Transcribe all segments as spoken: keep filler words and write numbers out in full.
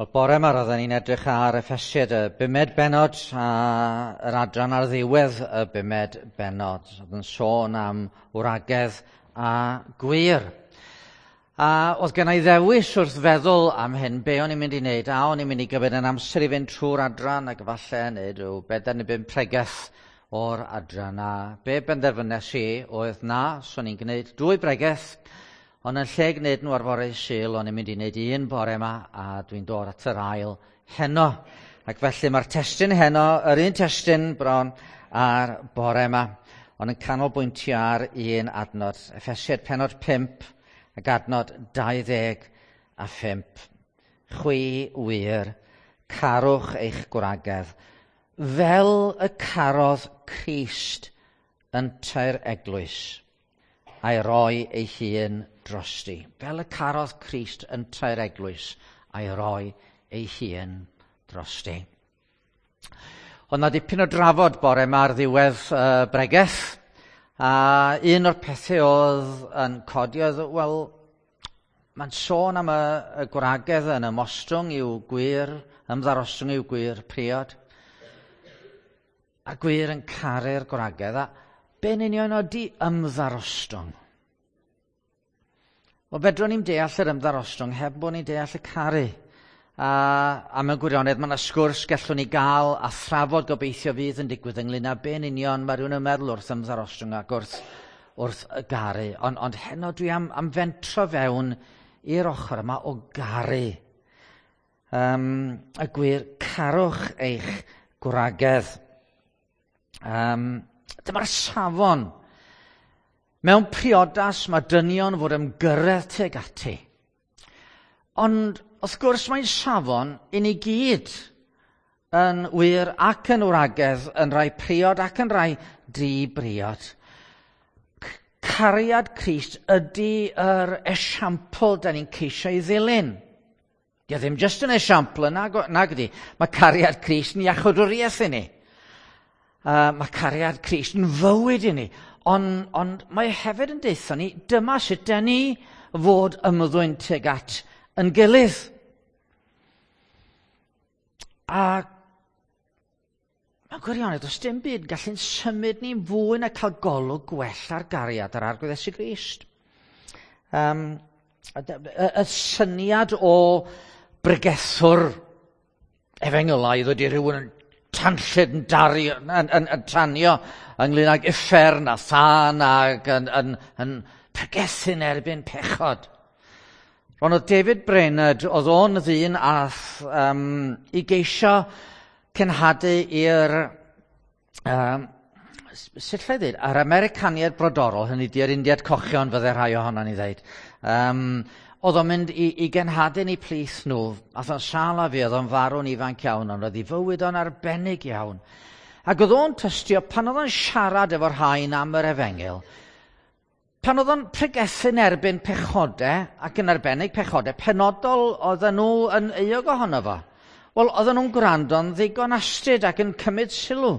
Wel, bore yma roedden ni'n edrych ar Effesiaid y bumed bennod a yr adran ar ddiwedd y bumed bennod. Oedd yn sôn am wragedd a gwŷr. A oedd gen i ddewis wrth feddwl am hyn, be o'n i'n mynd i wneud, a o'n i'n mynd i gymryd yn amser i fynd trwy'r adran ac falle wneud rhyw bedair neu bum pregeth o'r adran. A be benderfynes i oedd na, so o'n i'n gwneud dwy bregeth, ond yn lle gwneud nhw ar fore Sul, o'n i'n mynd i wneud un bore yma, a dwi'n dod at yr ail heno. Ac felly mae'r testun heno, yr un testun bron ar bore yma, ond yn canolbwyntio ar un adnod. Effesiaid pennod pump ac adnod dau ddeg a phump. Chwi wŷr, carwch eich gwragedd, fel y carodd Crist yntau'r eglwys, a'i roi ei hun drosti. Fel y carodd Crist yntau'r eglwys, a'i roi ei hun drosti. Oedd 'na dipyn o drafod bore yma ar ddiwedd uh, bregeth, a un o'r pethau oedd yn codi oedd, wel, mae'n sôn am y, y gwragedd yn ymostwng i'w gwŷr, ymddarostwng i'w gwŷr priod, a gwŷr yn caru'r gwragedd, a be'n union ydy ymddarostwng? Wel, fedrwn ni'm deall yr ymddarostwng heb bod ni'n deall y caru. A, a mewn gwirionedd, mae yna sgwrs gallwn ni gael a thrafod gobeithio fydd yn digwydd ynglyn â be'n union mae rhywun yn meddwl wrth ymddarostwng ac wrth, wrth y garu. Ond, ond heno dwi am, am fentro fewn i'r ochr yma o garu. Um, y gwir, carwch eich gwragedd. Um, dyma'r safon. Mewn priodas mae dynion fod ymgyrraedd tuag ati. Ond wrth gwrs mae'n safon i ni gyd yn wir ac yn wragedd, yn rhai priod ac yn rhai di-briod. Cariad Crist ydy yr esiampl da ni'n ceisio ei ddilyn. Dio ddim jyst yn esiampl, nag, nag ydi. Mae cariad Crist yn iachawdwriaeth i ni. Uh, mae cariad Crist yn fywyd i ni. Ond, ond mae hefyd yn deutha ni, dyma sut da ni fod ymddwyn tuag at yn gilydd. A mewn gwirionedd, does dim byd gallu'n symud ni'n fwy na cael golwg gwell ar gariad yr Arglwydd Iesu Grist. Um, y, y, y syniad o bregethwr efengylaidd ydy rhywun yn tanllyd yn, dario, yn, yn, yn tanio ynglyn ag uffern a thân ac yn, yn, yn pregethu'n erbyn pechod. Ond oedd David Brainerd, oedd o'n ddyn ath um, i geisio cenhadu i'r, um, sut lle ddweud, yr Americaniaid brodorol, hynny di'r Indiad Cochion fydde rhai ohono ni ddeud. Um, oedd o'n mynd i, i genhadu ni plith nhw, ath o'n sâl a fi, oedd o'n farw'n ifanc iawn, ond oedd ei fywyd o'n arbennig iawn. Ac oedd o'n tystio, pan oedd o'n siarad efo'r rhain am yr efengyl, pan oedd o'n pregethu'n erbyn pechodau, ac yn arbennig pechodau penodol oedden nhw yn euog ohono fo. Wel, oedden nhw'n gwrando'n ddigon astud ac yn cymryd sylw.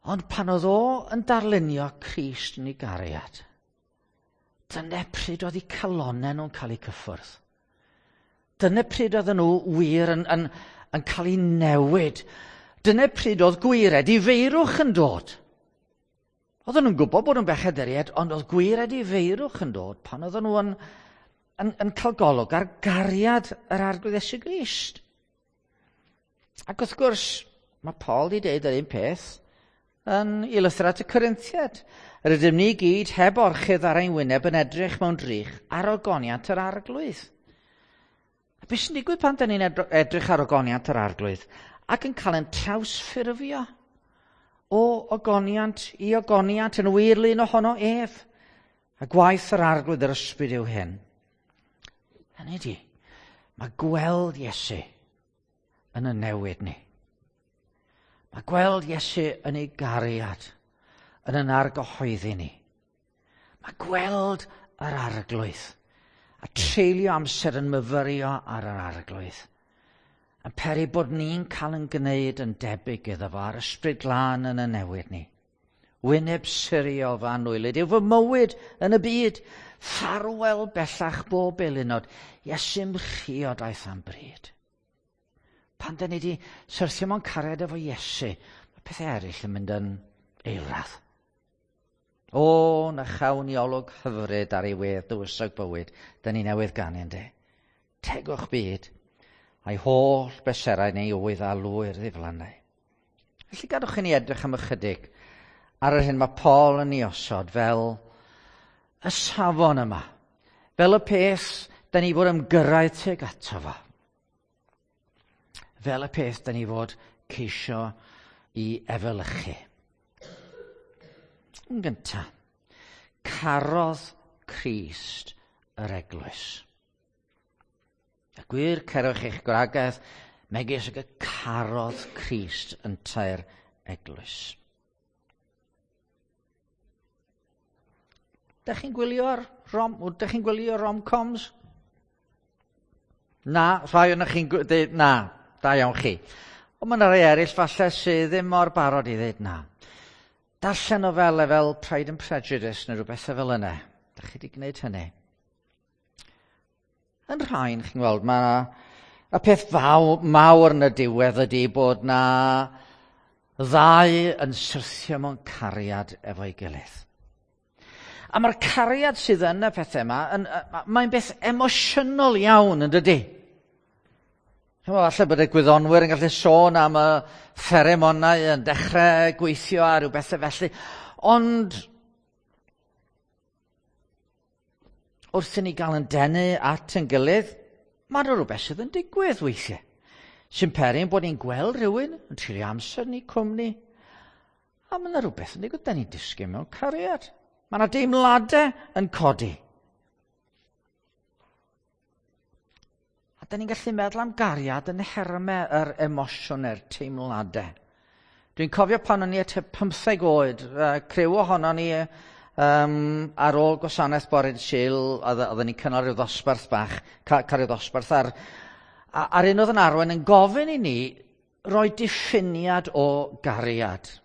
Ond pan oedd o yn darlunio Crist yn ei gariad, dyna pryd oedd eu calonnau nhw'n cael eu cyffwrdd. Dyna pryd oedden nhw wir yn, yn, yn cael eu newid. Dyna pryd oedd gwir edifeirwch yn dod. Oedden nhw'n gwybod bod nhw'n bechaduriaid, ond oedd gwir edifeirwch yn dod pan oedden nhw yn, yn, yn cael golwg ar gariad yr Arglwydd Iesu Grist. Ac wrth gwrs, mae Paul wedi deud yr un peth yn ei lythyr at y Corinthiaid. Yr ydym ni gyd heb orchudd ar ein wyneb yn edrych mewn drych ar ogoniant yr Arglwydd. A beth sy'n digwydd pan da ni'n edrych ar ogoniant yr Arglwydd ac yn cael ein trawsffurfio o ogoniant i ogoniant yn wir lun ohono ef. A gwaith yr Arglwydd yr Ysbryd yw hyn. Hynny ydi, mae gweld Iesu yn y newid ni. Mae gweld Iesu yn ei gariad yn yn argyhoeddi ni. Mae gweld yr Arglwydd a treulio amser yn myfyrio ar yr Arglwydd yn peri bod ni'n cael yn gwneud yn debyg iddo fo a'r Ysbryd Glân yn y newid ni. Wyneb siriol fy anwylyd yw fy mywyd yn y byd. Ffarwel bellach bob eilunod, Iesu'm mhriodaeth am bryd. Pan da ni wedi syrthio mewn cariad efo Iesu, mae pethau eraill yn mynd yn eilradd. O, na chawn ni olwg hyfryd ar ei wedd dywysog bywyd, da ni newydd ganu yndê. Tegwch byd, a'i holl bleserau neu oedd a lwyr ddiflannau. Felly gadwch i ni edrych am ychydig ar yr hyn mae Paul yn ei osod fel y safon yma, fel y peth da ni fod ymgyrraedd tuag ato fo. Fel y peth da ni fod ceisio i efelychu. Yn gyntaf, carodd Crist yr eglwys. Y gwŷr, cerwch eich gwragedd, megis ag y carodd Crist yntau'r eglwys. Dych chi'n gwylio'r rom, dych chi'n gwylio rom-coms? Na, rhai o'na chi'n dweud na, da iawn chi. Ond mae yna rai eraill falle sydd ddim mor barod i ddweud na. Darllen nofelau fel Pride and Prejudice neu rhywbeth fel yna. Dych chi wedi gwneud hynny? Yn rhain, chi'n gweld, mae y peth faw, mawr yn y diwedd ydy bod na ddau yn syrthio mewn cariad efo'i gilydd. A mae'r cariad sydd yn y pethau yma, yn, mae'n beth emosiynol iawn, yn dydy? Falle bod y gwyddonwyr yn gallu sôn am y fferomonau yn dechrau gweithio a rhyw bethau felly, ond wrth i ni gael yn denu at yn gilydd, mae yna rhywbeth sydd yn digwydd weithiau. Sy'n peri bod ni'n gweld rhywun yn treulio amser ni cwmni, a mae yna rhywbeth yn digwydd, da ni'n disgyn mewn cariad. Mae yna deimladau yn codi. A da ni'n gallu meddwl am gariad yn nhermau yr emosiwn a'r teimladau. Dwi'n cofio pan o'n i at pymtheg oed, uh, criw ohonon ni um, ar ôl gwasanaeth bore Sul, oedden ni'n cynnal rhyw ddosbarth bach, ca, cael rhyw ddosbarth ar, a'r un oedd yn arwain yn gofyn i ni roi diffiniad o gariad.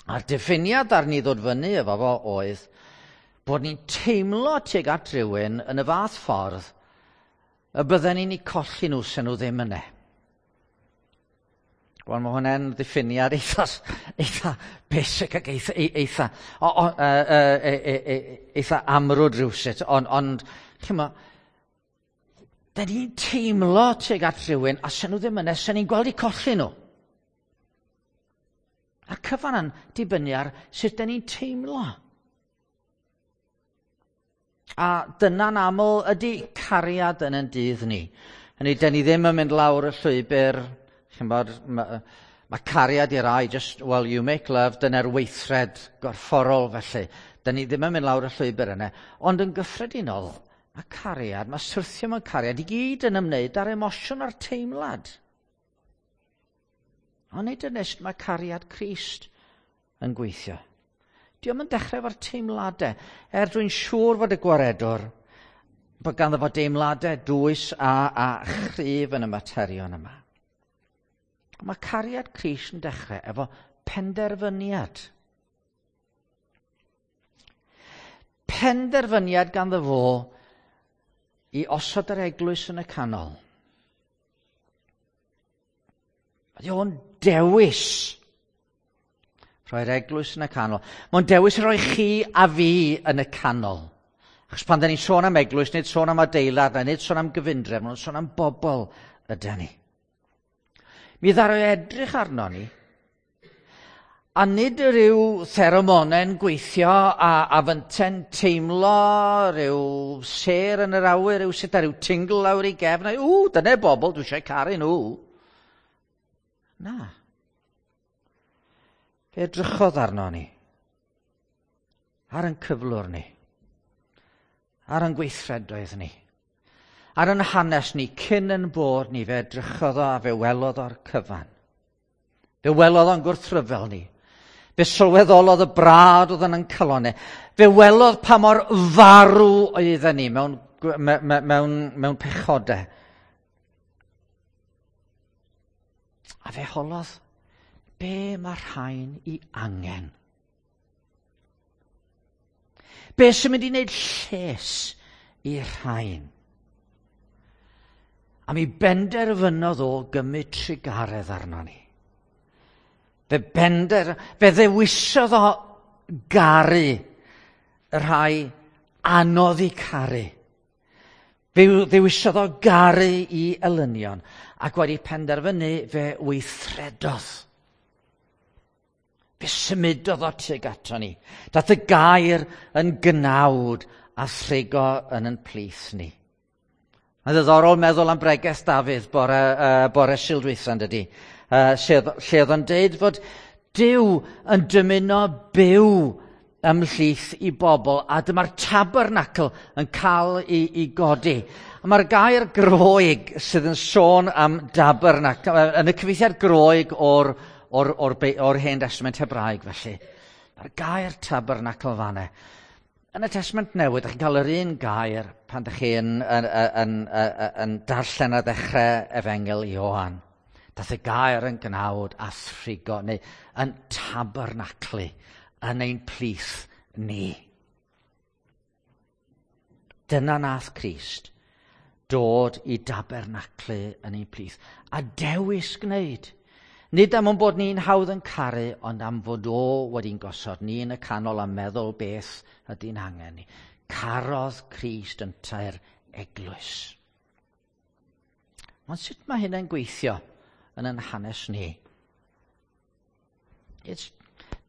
A'r diffiniad ar ni ddod fyny efo fo oedd bod ni'n teimlo tuag at rhywun yn y fath ffordd y bydden ni'n eu colli nhw sen nhw ddim yna. Wel, mae hwnna'n ddiffiniad eitha, eitha basic ac eitha, eitha, o, o, e, e, e, eitha amrwd rhywsut, ond, ond ch'mo, da ni'n teimlo tuag at rhywun a sen nhw ddim yna, sen ni'n gweld eu colli nhw. A'r cyfan yn dibynnu ar sut da ni'n teimlo. A dyna'n aml ydy cariad yn ein dydd ni. Hynny, da ni ddim yn mynd lawr y llwybr, chi'n bod, mae ma cariad i rai, just, well, you make love, dyna'r weithred gorfforol felly. Da ni ddim yn mynd lawr y llwybr yna. Ond yn gyffredinol, mae cariad, mae syrthio mewn cariad i gyd yn ymwneud â'r emosiwn a'r teimlad. Ond nid yn est mae cariad Crist yn gweithio. Dio'm yn dechrau efo'r teimladau. Er dwi'n siŵr fod y gwaredwr, bod ganddo fo deimladau dwys a, a chryf yn y materion yma. Mae cariad Crist yn dechrau efo penderfyniad. Penderfyniad ganddo fo i osod yr eglwys yn y canol. Ydy o'n dewis rhoi'r eglwys yn y canol. Mae'n dewis rhoi chi a fi yn y canol. Achos pan da ni'n sôn am eglwys, nid sôn am adeilad, nid sôn am gyfundrefn, mae'n sôn am bobl ydy ni. Mi ddaru edrych arno ni, a nid rhyw theromonau'n gweithio a, a fynte'n teimlo, rhyw sêr yn yr awyr, rhyw sut a rhyw tingle lawr i gefn, a ww, dyna bobl, dwi eisiau caru nhw. Na. Fe edrychodd arno ni, ar ein cyflwr ni, ar ein gweithredoedd ni, ar ein hanes ni, cyn yn bod ni, fe edrychodd o a fe welodd o'r cyfan. Fe welodd o'n gwrthryfel ni. Fe sylweddolodd y brad oedd yn ein calonnau. Fe welodd pa mor farw oedden ni mewn, mewn, mewn, mewn pechodau. A fe holodd, Be mae rhain i angen? Be sy'n mynd i wneud lles i rhain? A mi benderfynodd o gymryd trugaredd arno ni. Fe bender, fe ddewisodd o garu y rhai anodd i caru. Fe ddewisodd o garu i elynion, ac wedi penderfynu fe weithredodd. Fe symudodd o tuag ato ni. Dath y gair yn gnawd a thrigo yn yn plith ni. Mae'n ddiddorol meddwl am bregeth Dafydd bore, uh, bore Sul dwytha, yn dydi? Uh, lle, lle oedd o'n deud fod Duw yn dymuno byw ymhlith i bobl, a dyma'r tabernacl yn cael ei, ei godi. A mae'r gair Groeg sydd yn sôn am dabernacl, yn y cyfieithiad Groeg o'r, o'r, or, or Hen Testament Hebraeg felly. Mae'r gair tabernacl fanne. Yn y Testament Newydd, ydych chi'n cael yr un gair pan ydych chi'n yn, yn, yn, yn, yn darllen ar ddechrau Efengyl Ioan. Dath y gair yn gnawd a thrigo, neu yn tabernaclu yn ein plith ni. Dyna nath Crist dod i dabernaclu yn ein plith a dewis gwneud. Nid am ein bod ni'n hawdd yn caru, ond am fod o wedi'n gosod ni yn y canol a meddwl beth ydy'n angen ni. Carodd Crist yntau'r eglwys. Ond sut mae hynny'n gweithio yn yn hanes ni? It's,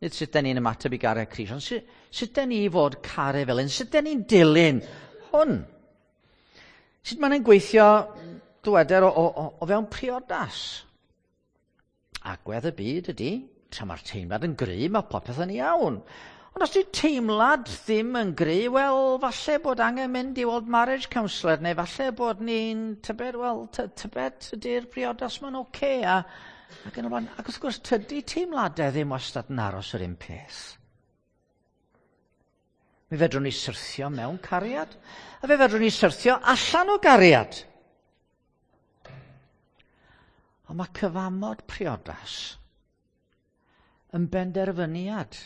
nid sut da ni'n ymateb i garu Crist, ond sut, sut da ni fod caru fel hyn? Sut da ni'n dilyn hwn? Sut mae'n gweithio, dyweder, o, o, o fewn priodas? Agwedd y byd ydy, tra mae'r teimlad yn gry, mae popeth yn iawn. Ond os di teimlad ddim yn gry, wel, falle bod angen mynd i weld marriage counsellor, neu falle bod ni'n tybed, wel, tybed ydy'r briodas ma'n oce, okay, a, ac yn y blaen. Ac wrth gwrs, tydi teimladau ddim wastad yn aros yr un peth. Mi fedrwn ni syrthio mewn cariad, a fe fedrwn ni syrthio allan o gariad. Ond mae cyfamod priodas yn benderfyniad.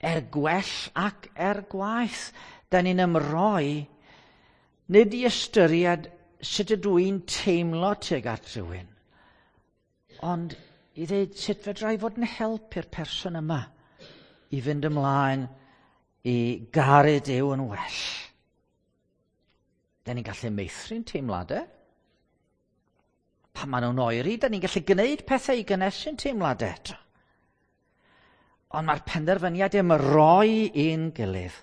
Er gwell ac er gwaeth, da ni'n ymroi nid i ystyried sut ydw i'n teimlo tuag at rhywun, ond i ddweud sut fedra i fod yn help i'r person yma i fynd ymlaen i garu Duw yn well. Da ni'n gallu meithrin teimladau. Pan maen nhw'n oeri, da ni'n gallu gwneud pethau i gynnesu'n teimladau eto. Ond mae'r penderfyniad ymroi i'n gilydd.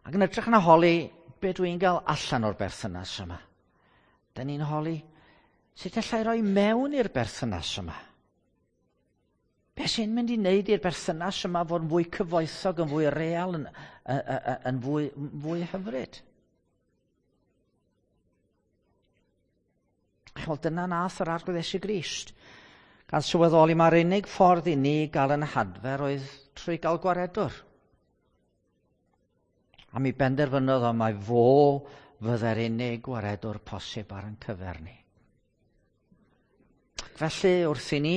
Ac yn edrych na holi be dwi'n gael allan o'r berthynas yma. Da ni'n holi sut allai roi mewn i'r berthynas yma. Be sy'n mynd i wneud i'r berthynas yma fod yn fwy cyfoethog, yn fwy real, yn, yn, yn, yn fwy, fwy hyfryd? Wel, dyna nath yr Arglwydd Iesu Grist. Gan sylweddoli mae'r unig ffordd i ni gael yn hadfer oedd trwy gael gwaredwr. A mi benderfynodd o mai fo fydde'r unig gwaredwr posib ar ein cyfer ni. Felly, wrth i ni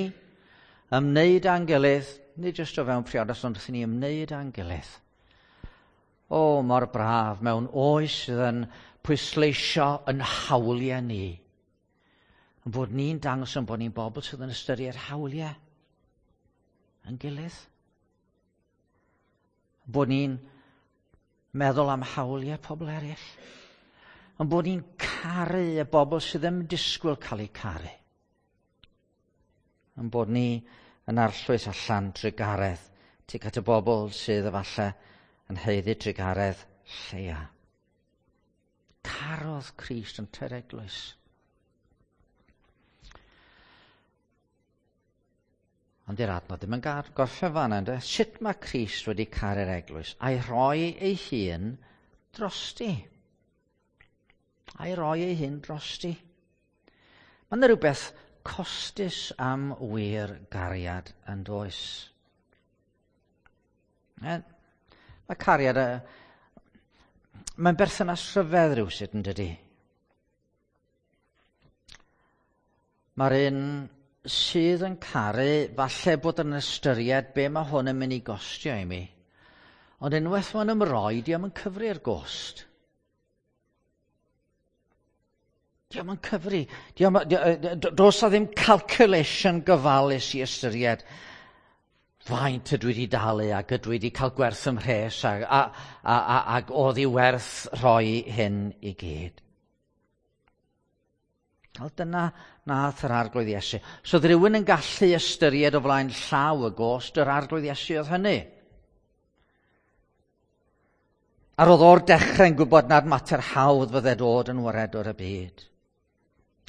ymwneud â'n gilydd, nid jyst o fewn priodas, ond wrth i ni ymwneud â'n gilydd. O, mor braf mewn oes sydd yn pwysleisio yn hawliau ni. Yn bod ni'n dangos yn bod ni'n bobl sydd yn ystyried hawliau yn gilydd. Bod ni'n meddwl am hawliau pobl eraill. Yn bod ni'n caru y bobl sydd ddim yn disgwyl cael eu caru. Yn bod ni yn arllwys allan trugaredd tuag at y bobl sydd efallai yn haeddu trugaredd lleia. Carodd Crist yn te'r eglwys. Ond i'r adnod ddim yn gar, gorffen fan'na, ynde? Sut mae Crist wedi caru'r eglwys? A'i rhoi ei hun drosti. A'i roi ei hun drosti. Mae yna rhywbeth costus am wir gariad yn does. E, mae cariad, mae'n berthynas rhyfedd rhywsut yn dydi. Mae'r un sydd yn caru, falle bod yn ystyried be mae hwn yn mynd i gostio i mi. Ond unwaith mae'n ymroi, dio'm yn cyfri'r gost. Dio'm yn cyfri. Dio'm, does na ddim calculation gofalus i ystyried faint ydw i wedi dalu ac ydw i wedi cael gwerth ym mhres a, a, a, a, ac oedd i werth rhoi hyn i gyd. Wel, dyna nath yr Arglwydd Iesu. So oedd rhywun yn gallu ystyried o flaen llaw y gost yr Arglwydd Iesu oedd hynny. A roedd o'r dechrau'n gwybod nad mater hawdd fydde dod yn waredwr y byd.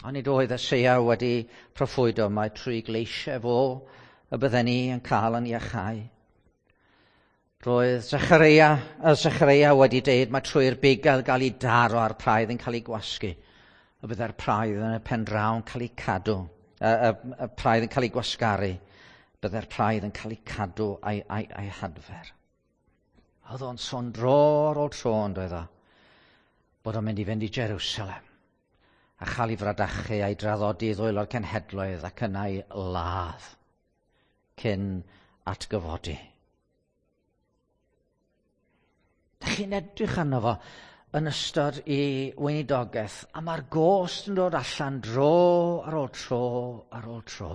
Ond nid oedd Eseia wedi proffwydo mai trwy gleisiau fo y bydden ni yn cael yn iachau. Roedd Zechareia, Zechareia wedi deud mae trwy'r bugail gael ei daro a'r praidd yn cael ei gwasgu. Y bydde'r praidd yn y pen draw yn cael ei cadw, y, y, y praidd yn cael ei gwasgaru, bydde'r praidd yn cael ei cadw a'i, a'i, a'i hadfer. Oedd o'n sôn dro ar ôl tro yn doedd o, bod o'n mynd i fynd i Jerusalem a chael ei fradachu a'i draddodi i ddwylo'r cenhedloedd ac yna ei ladd cyn atgyfodi. Dach chi'n edrych arno fo yn ystod i weinidogaeth, a mae'r gost yn dod allan dro ar ôl tro ar ôl tro.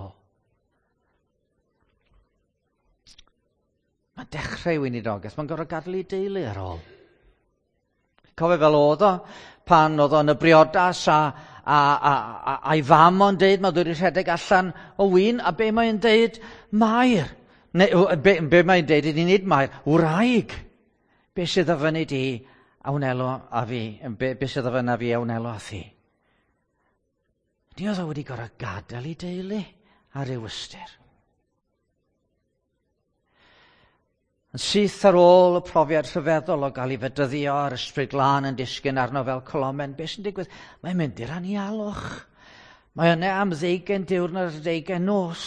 Mae'n dechrau weinidogaeth, mae'n gorfod gadael ei deulu ar ôl. Cofio fel oedd o, pan oedd o'n y briodas a, a, a, a, a'i fam o'n deud, mae'n dod i rhedeg allan o win, a be mae'n deud? Mair. Neu, be, be mae'n deud ydy nid Mair, wraig. Be sydd o fyny di a wnelo a fi, be, be sydd o fyny a fi a wnelo a thi. Ni oedd o wedi gorfod gadael ei deulu ar ryw ystyr. Yn syth ar ôl y profiad rhyfeddol o gael ei fedyddio a'r Ysbryd Glân yn disgyn arno fel colomen, beth sy'n digwydd? Mae'n mynd i'r anialwch. Mae yna am ddeugain diwrnod a deugain nos.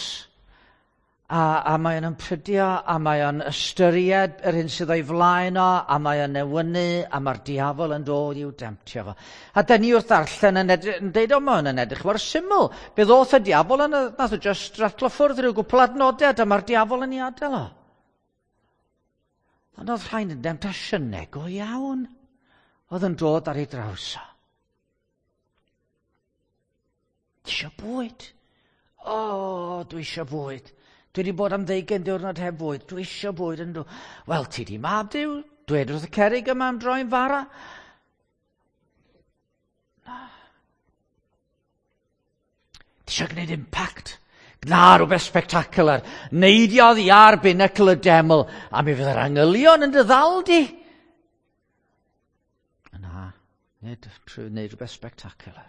A, a mae o'n ymprydio, a mae o'n ystyried yr hyn sydd o'i flaen o, a mae o'n newynu, a mae'r diafol yn dod i'w demtio fo. A dyn ni wrth ddarllen yn, edrych, yn deud o, mae o'n edrych mor syml. Fe ddoth y diafol yn, nath o just ratlo ffwrdd rhyw gwpl adnodau, a dyma'r diafol yn ei adael o. Ond oedd rhain yn demtasiynau go iawn oedd yn dod ar ei draws o. Ti isio bwyd? O, dwi isio bwyd. Dwi wedi bod am ddeugain diwrnod heb fwyd. Dwi isio bwyd yn dwi. Wel, ti di mab Duw. Dwed wrth y cerrig yma am droi'n fara. Na. Ti isio gwneud impact? Gna rhywbeth spectacular. Neidiodd i ar binacl y deml, a mi fydd yr angylion yn dy ddal di. Na, nid trwy wneud rhywbeth spectacular.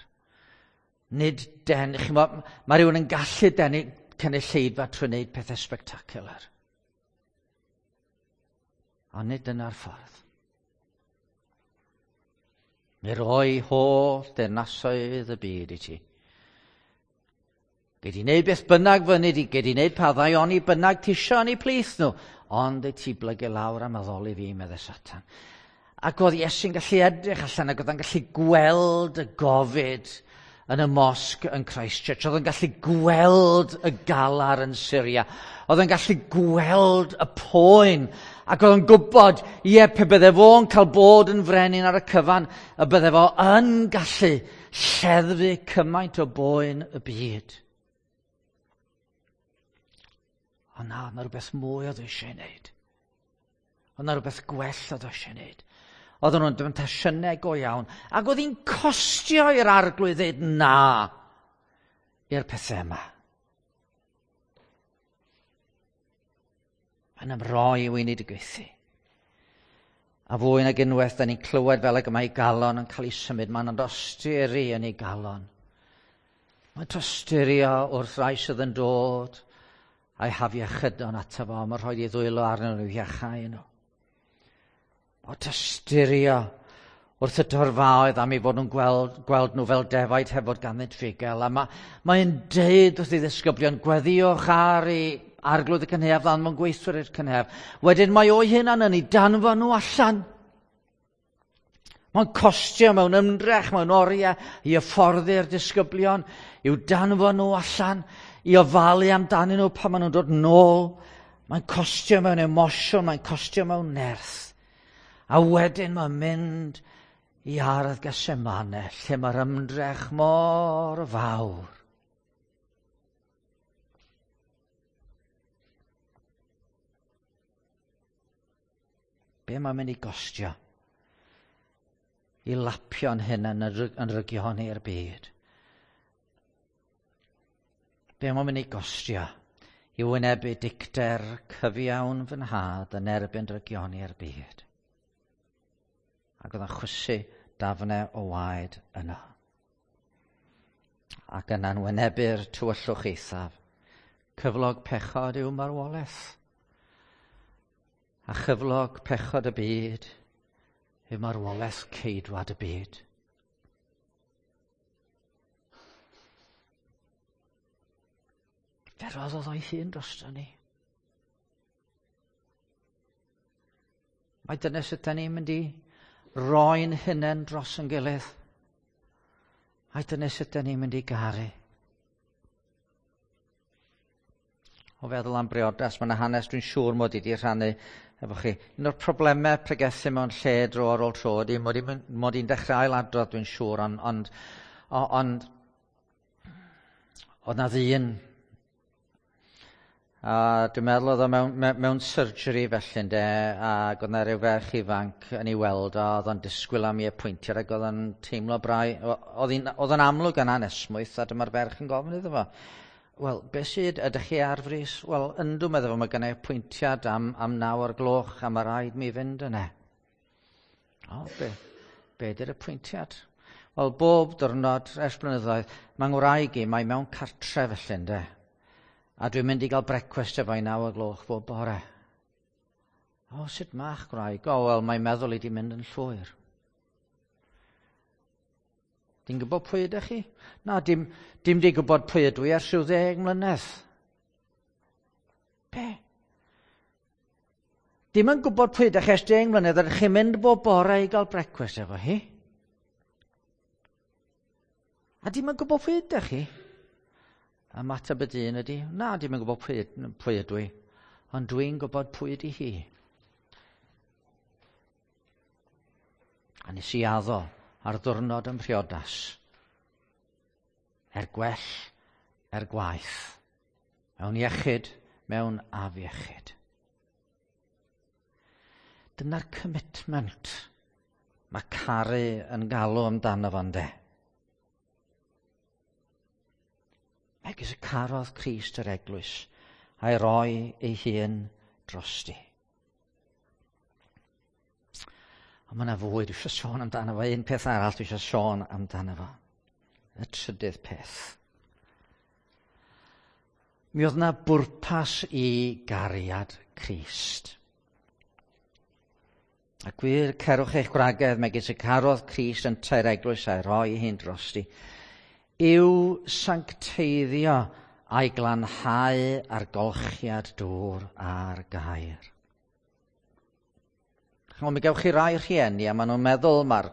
Nid den, chi'mod, mae rhywun yn gallu denu cynulleidfa trwy wneud pethau spectacular. Ond nid dyna'r ffordd. Mi roi holl deyrnasoedd y byd i ti. Gei di wneud beth bynnag fyny di, gei di wneud pa ddaioni bynnag ti isio yn eu plith nhw, ond i ti blygu lawr am addoli fi, medde Satan. Ac oedd Iesu'n gallu edrych allan ac oedd o'n gallu gweld y gofid yn y mosg yn Christchurch. Oedd o'n gallu gweld y galar yn Syria. Oedd o'n gallu gweld y poen. Ac oedd o'n gwybod, ie, pe bydde fo'n cael bod yn frenin ar y cyfan, y bydde fo yn gallu lleddfu cymaint o boen y byd. Ond na, oedd 'na rhywbeth mwy oedd eisiau ei wneud. Oedd 'na rhywbeth gwell oedd eisiau ei wneud. Oedden nhw'n demtasiynau go iawn. Ac oedd hi'n costio i'r Arglwydd ddeud na i'r pethau yma. Mae'n ymroi i weinidogaethu. A fwy nag unwaith, da ni'n clywed fel ag y mae ei galon yn cael ei symud. Mae'n dosturi yn ei galon. Mae'n tosturio wrth rai sydd yn dod a'i hafiechydon ato fo, mae'n rhoi ei ddwylo arnyn nhw i iachau nhw. O tosturio wrth y torfaoedd am ei fod nhw'n gweld, gweld nhw fel defaid heb fod ganddynt fugail. A mae, mae'n deud wrth ei ddisgyblion, gweddïwch ar ei Arglwydd y cynhaeaf, ddanfon gweithwyr i'r cynhaeaf. Wedyn mae o'i hunan yn ei danfon nhw allan. Mae'n costio mewn ymdrech, mewn oriau i hyfforddi'r disgyblion, i'w danfon nhw allan, i ofalu amdanyn nhw pan maen nhw'n dod nôl. Mae'n costio mewn emosiwn, mae'n costio mewn nerth. A wedyn mae'n mynd i ardd Gethsemane, lle mae'r ymdrech mor fawr. Be mae'n mynd i gostio? I lapio'n hunain yn rygioni i'r byd. Be mae'n mynd i gostio? I wynebu dicter cyfiawn fy nhad yn erbyn drygioni i'r byd. Ac oedd yn chwysu dafnau o waed yno. Ac yna'n wynebu'r tywyllwch eithaf. Cyflog pechod yw marwolaeth. A chyflog pechod y byd yw marwolaeth ceidwad y byd. Fe roddodd o'i hun drosto ni. Mae dyna sut da ni'n mynd i roi'n hunain dros yn gilydd. Ai dyna sut da ni'n mynd i garu. O feddwl am briodas, mae yna hanes dwi'n siŵr mod i wedi rhannu efo chi. Un o'r problemau pregethu mewn lle dro ar ôl tro ydy mod i'n mod i'n dechrau ailadrodd dwi'n siŵr, ond, ond, ond oedd na ddyn. A dwi'n meddwl oedd o mewn, mewn surgery felly ynde, ac oedd na rhyw ferch ifanc yn ei weld o, oedd o'n disgwyl am ei apwyntiad ac oedd o'n teimlo brau, oedd o'n amlwg yn anesmwyth, a dyma'r ferch yn gofyn iddo fo. Wel, beth sydd, ydych chi ar frys? Wel, yndw, meddwl fo, mae gennai apwyntiad am, am naw o'r gloch a mae rhaid mi fynd yna. O, be, be ydy'r apwyntiad? Wel, bob diwrnod ers blynyddoedd, mae ngwraig i, mae mewn cartre felly ynde. A dwi'n mynd i gael brecwast efo i naw o'r gloch bob bore. O, sut ma'ch gwraig? O, wel, mae'n meddwl i di mynd yn llwyr. Di'n gwybod pwy ydych chi? Na, dim, dim di gwybod pwy ydw i ers rhyw ddeg mlynedd. Be? Dim yn gwybod pwy ydych chi ers deg mlynedd, ydych chi'n mynd bob bore i gael brecwast efo hi? A dim yn gwybod pwy ydych chi? Ymateb y dyn ydy, na, dim yn gwybod pwy, pwy ydw i, ond dwi'n gwybod pwy ydy hi. A nes i addo ar ddwrnod yn priodas, er gwell, er gwaeth, mewn iechyd, mewn afiechyd. Dyna'r commitment mae caru yn galw amdano fo ynde. Megis y carodd Crist yr eglwys a'i roi ei hun drosti. Ond mae yna fwy, dwi eisiau sôn amdano fo. Un peth arall dwi eisiau sôn amdano fo. Y trydydd peth. Mi oedd yna bwrpas i gariad Crist. A gwir, cerwch eich gwragedd megis y carodd Crist yn tair eglwys a'i roi ei hun drosti, yw sancteiddio a'i glanhau ar golchiad dŵr a'r gair. Chymod, mi gewch chi rai rhieni a maen nhw'n meddwl mae'r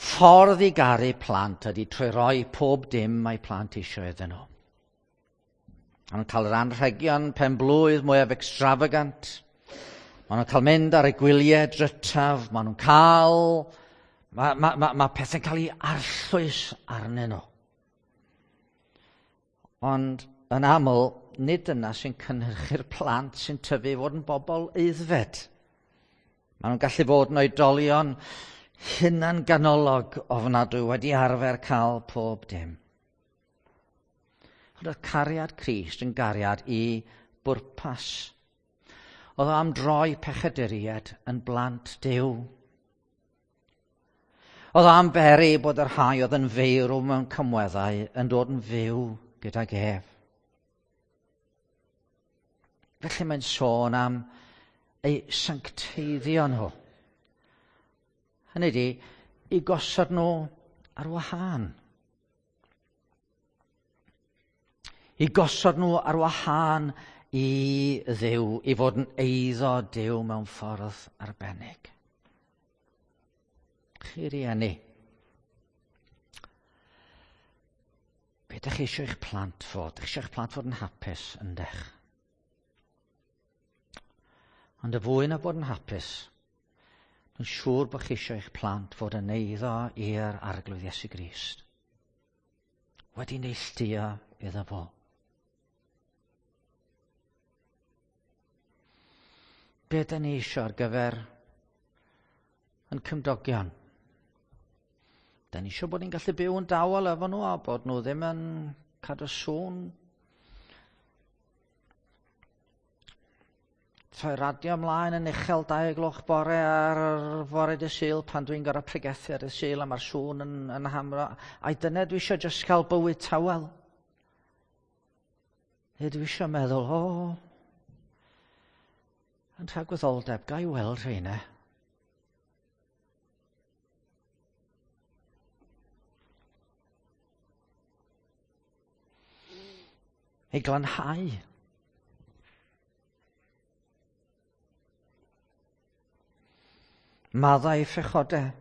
ffordd i garu plant ydy trwy roi pob dim mae plant eisiau iddyn nhw. Maen nhw'n cael yr anrhegion pen blwydd mwyaf extravagant. Maen nhw'n cael mynd ar y gwyliau drytaf. Maen nhw'n cael... Mae, mae, mae, mae pethau'n cael ei arllwys arnyn nhw. Ond yn aml, nid dyna sy'n cynhyrchu'r plant sy'n tyfu i fod yn bobl aeddfed. Maen nhw'n gallu fod yn oedolion hunanganolog ofnadwy wedi arfer cael pob dim. Ond oedd cariad Crist yn gariad i bwrpas. Oedd o am droi pechaduriaid yn blant Duw. Oedd o am beri bod yr rhai oedd yn feirw mewn cymweddau yn dod yn fyw gydag ef. Felly mae'n sôn am eu sancteiddio nhw. Hynny ydi, i gosod nhw ar wahân. I gosod nhw ar wahân i Dduw, i fod yn eiddo Duw mewn ffordd arbennig. Chi rieni, Be ydych chi eisiau eich plant fod? Ydych chi eisiau eich plant fod yn hapus, yndech? Ond y fwy na bod yn hapus, dwi'n siŵr bod chi eisiau eich plant fod yn eiddo i'r Arglwydd Iesu Grist. Wedi neilltuo iddo fo. Be ydyn ni eisiau ar gyfer yn cymdogion? Da ni eisiau bod ni'n gallu byw yn dawel efo nhw a bod nhw ddim yn cadw sŵn. Troi radio ymlaen yn uchel dau gloch bore ar fore dy Sul pan dwi'n gorfod pregethu ar y Sul a mae'r sŵn yn, yn hamro. Ai dyna dwi eisiau jyst cael bywyd tawel. Neu dwi eisiau meddwl, o, yn tragwyddoldeb, ga i weld rheina. Ei glanhau. Maddau pechodau.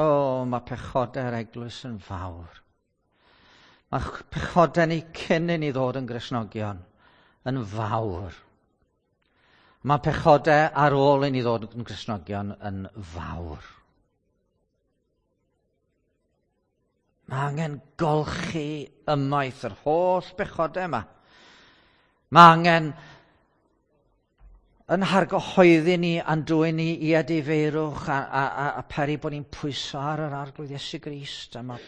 O, mae pechodau'r eglwys yn fawr. Mae pechodau ni cyn i ni ddod yn Gristnogion yn fawr. Mae pechodau ar ôl i ni ddod yn Gristnogion yn fawr. Mae angen golchi ymaith yr holl bechodau yma. Mae angen yn hargyhoeddi ni a'n dwyn ni i edifeirwch a, a, a, a peri bod ni'n pwyso ar yr Arglwydd Iesu Grist. A mae,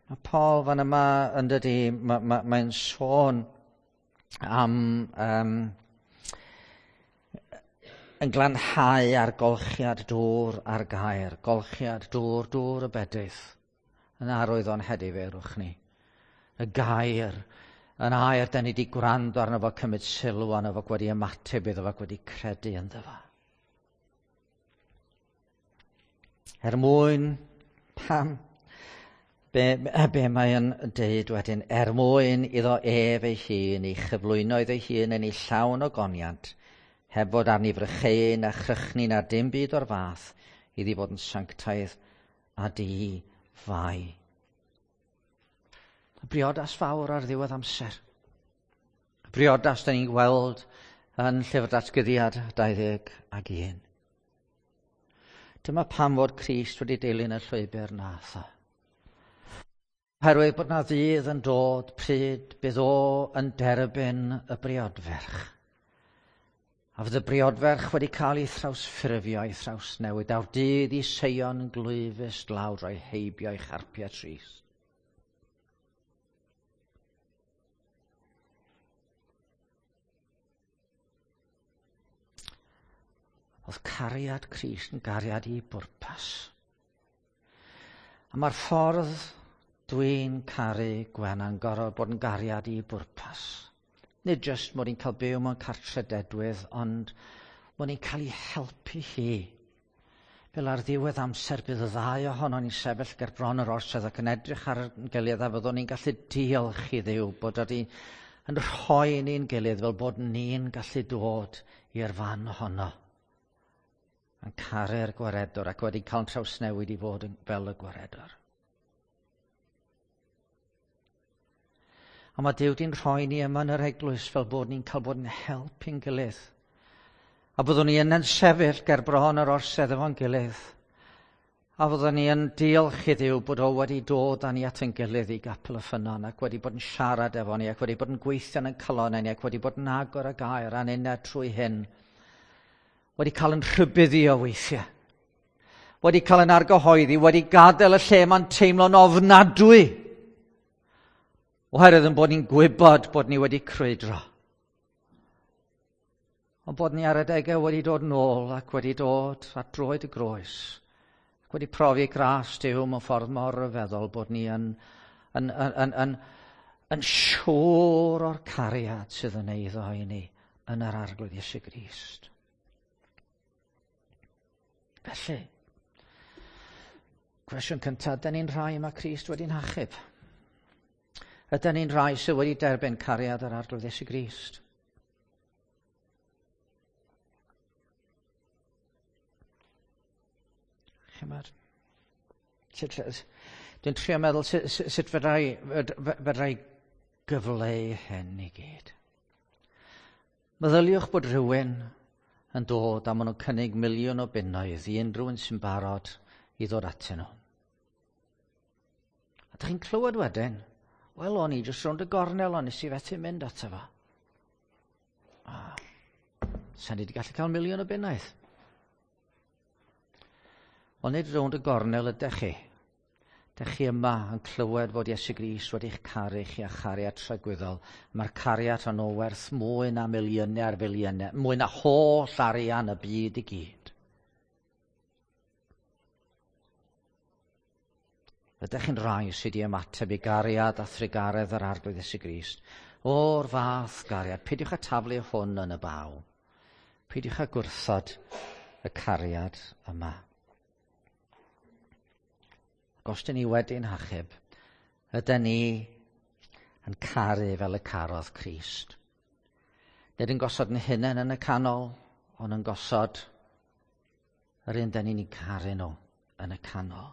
mae Paul fan yma yn dydi, mae, mae, mae'n sôn am um, yn glanhau ar golchiad dŵr a'r gair, golchiad dŵr, dŵr y bedydd, yn arwydd o'n hedifeirwch ni. Y gair, yn air, da ni wedi gwrando arno fo, cymryd sylw arno fo, wedi ymateb iddo fo, wedi credu ynddo fo. Er mwyn, pam, be, be mae'n deud wedyn, er mwyn iddo ef ei hun, ei chyflwyno iddo ei hun yn ei llawn o goniant, heb fod arni frycheuyn a chrychni na dim byd o'r fath, iddi fod yn sanctaidd a di-fai. Y briodas fawr ar ddiwedd amser. Y briodas da ni'n gweld yn Llyfr Datguddiad dau ddeg ac un. Dyma pam fod Crist wedi dilyn y llwybr nath o. Oherwydd bod na ddydd yn dod pryd bydd o yn derbyn y briodferch. A fydd y briodferch wedi cael ei thrawsffurfio, ei thrawsnewid. Daw'r dydd i Seion glwyfus lawr o'i heibio ei charpiau trist. Oedd cariad Crist yn gariad i bwrpas. A mae'r ffordd dwi'n caru Gwenan gorfod bod yn gariad i bwrpas. Nid jyst mod i'n cael byw mewn cartre dedwydd, ond mod i'n cael ei helpu hi. Fel ar ddiwedd amser bydd y ddau ohonon ni'n sefyll ger bron yr orsedd ac yn edrych ar ein gilydd a fyddwn ni'n gallu diolch i Dduw bod wedi yn rhoi ni'n gilydd fel bod ni'n gallu dod i'r fan honno. Yn caru'r gwaredwr ac wedi cael trawsnewid i fod yn fel y gwaredwr. A mae Duw di'n rhoi ni yma yn yr eglwys fel bod ni'n cael bod yn help i'n gilydd. A byddwn ni yn yn sefyll ger bron yr orsedd efo'n gilydd. A fyddwn ni yn diolch i Dduw bod o wedi dod â ni at ein gilydd i Gapel y Ffynnon ac wedi bod yn siarad efo ni ac wedi bod yn gweithio yn ein calonnau ni ac wedi bod yn agor y gair a'n uned trwy hyn. Wedi cael yn rhybuddio weithiau. Wedi cael yn argyhoeddi, wedi gadael y lle mae'n teimlo'n ofnadwy. Oherwydd yn bod ni'n gwybod bod ni wedi crwydro. Ond bod ni ar adegau wedi dod nôl ac wedi dod at droed y groes. Ac wedi profi gras Duw mewn ffordd mor ryfeddol bod ni yn, yn, yn, yn, yn, yn siŵr o'r cariad sydd yn eiddo i ni yn yr Arglwydd Iesu Grist. Felly, cwestiwn cyntaf, ydyn ni'n rhai mae Crist wedi'n hachub? Ydyn ni'n rhai sydd wedi derbyn cariad yr Arglwydd Iesu Grist? Chymod? Dwi'n trio meddwl sut, sut fedra i, fedra i gyfleu hyn i gyd. Meddyliwch bod rhywun yn dod a maen nhw'n cynnig miliwn o bunnoedd i unrhyw un sy'n barod i ddod atyn nhw. A dych chi'n clywed wedyn, wel, o'n i jyst rownd y gornel, o'n nes i fethu mynd ato fo. Ah, sa'n ni wedi gallu cael miliwn o bunnoedd. Ond nid rownd y gornel ydych chi. Dych chi yma yn clywed fod Iesu Grist wedi'ch caru chi â chariad tragwyddol. Mae'r cariad hwnnw werth mwy na miliynau ar filiynau, mwy na holl arian y byd i gyd. Ydych chi'n rhai sydd wedi ymateb i gariad a thrugaredd yr Arglwydd Iesu Grist? O'r fath gariad, peidiwch â taflu hwn yn y baw. Peidiwch â gwrthod y cariad yma. Ac os dyn ni wedi'n hachub, ydyn ni yn caru fel y carodd Crist. Nid yn gosod yn hunain yn y canol, ond yn gosod yr un dyn ni'n caru nhw yn y canol.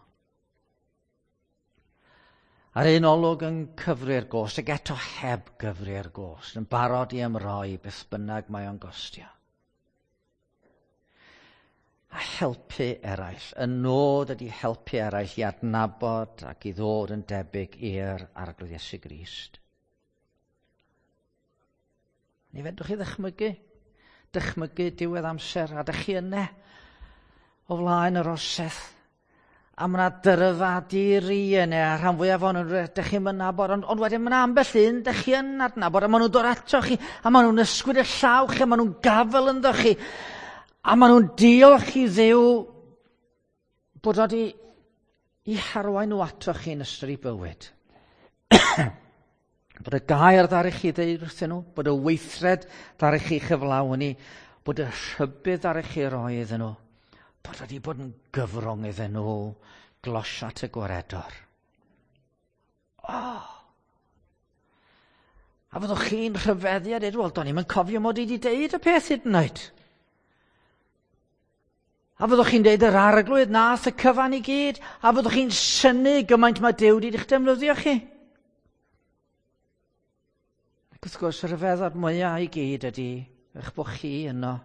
Ar un olwg yn cyfri'r gost, ac eto heb gyfri'r gost, yn barod i ymroi beth bynnag mae o'n gostio. A helpu eraill. Y nod ydy helpu eraill i adnabod ac i ddod yn debyg i'r Arglwydd Iesu Grist. Ni fedrwch chi ddychmygu, dychmygu diwedd amser, a dych chi yna o flaen yr orsedd. A mae yna dyrfa di-ri yna, a rhan fwyaf o'n nhw, dych chi'n nabod, ond, ond wedyn mae yna ambell un, dych chi yn adnabod, a maen nhw'n dod ato chi, a maen nhw'n ysgwyd y llaw chi, a maen nhw'n gafel ynddo chi, a maen nhw'n diolch i Dduw bod o wedi i harwain nhw ato chi yn ystod eu bywyd. Bod y gair ddaru chi ddeud wrthyn nhw, bod y weithred ddaru chi chyflawni, bod y rhybudd ddaru chi roi iddyn nhw, bod wedi bod yn gyfrwng iddyn nhw glosio at y gwaredwr. Oh. A fyddwch chi'n rhyfeddu a dweud, wel, do'n i'm yn cofio mod i wedi deud y peth hyd yn oed. A fyddwch chi'n deud yr Arglwydd nath y cyfan i gyd, a fyddwch chi'n synnu gymaint mae Duw wedi eich defnyddio chi. Ac wrth gwrs, y rhyfeddod mwyaf i gyd ydy eich bod chi yno,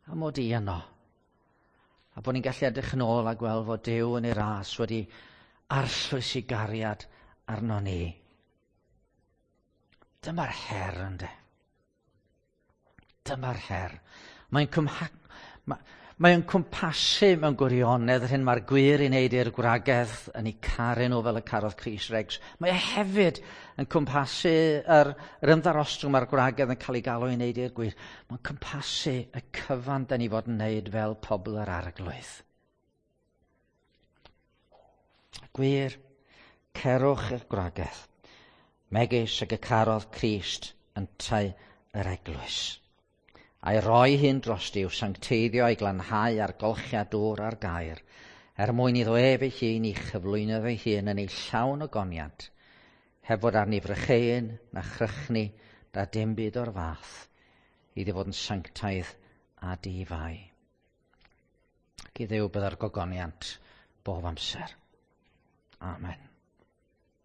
a mod i yno. A bod ni'n gallu edrych yn ôl a gweld fod Duw yn ei ras wedi arllwys i gariad arno ni. Dyma'r her, ynde. Dyma'r her. Mae'n cymha... Ma... Mae'n cwmpasu mewn gwirionedd yr hyn mae'r gwir i wneud i'r gwragedd yn eu caru nhw fel y carodd Crist Regs. Mae e hefyd yn cwmpasu yr, yr ymddarostwng mae'r gwragedd yn cael ei galw i wneud i'r gwir. Mae'n cwmpasu y cyfan da ni fod yn wneud fel pobl yr Arglwydd. Gwir, cerwch i'r gwragedd, megis ag y carodd Crist yntau yr eglwys. A'i roi hyn drosti i'w sancteiddio a'i glanhau a'r golchiad dŵr a'r gair, er mwyn iddo ef ei hun i chyflwyno ei hun yn ei llawn ogoniant, heb fod arni frycheuyn na chrychni na dim byd o'r fath, iddi fod yn sanctaidd a di-fai. Ac i Dduw bydda'r gogoniant bob amser. Amen.